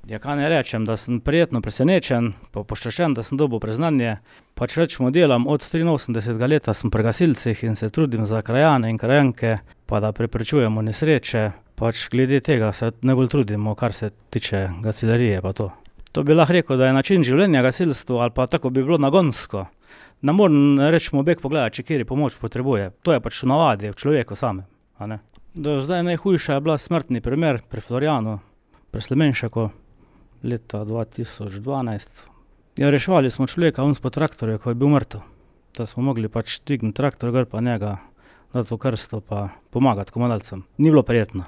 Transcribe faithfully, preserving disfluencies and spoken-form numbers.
Ja, kaj ne rečem, da sem prijetno presenečen, pa počaščen, da sem dobil priznanje. Pač recimo delam od triinosemdesetega leta, sem pri gasilcih in se trudim za krajane in krajanke, pa da preprečujemo nesreče. Pač glede tega se najbolj trudimo, kar se tiče gasiljerije pa to. To bi lahko rekel, da je način življenja gasilstvo, ali pa tako bi bilo nagonsko. Ne morem recimo bek pogledati, če kateri pomoč potrebuje. To je pač v navadi, v človeku samem, a ne. Do zdaj najhujša je bila smrtni primer pri Florijanu, pri Slemenšaku, leta dva tisoč dvanajst. Ja, reševali smo človeka on spod traktorja, ko je bil mrtev. Da smo mogli pač dvigniti traktor gor pa njega, dati v krsto pa pomagati komadalcem. Ni bilo prijetno.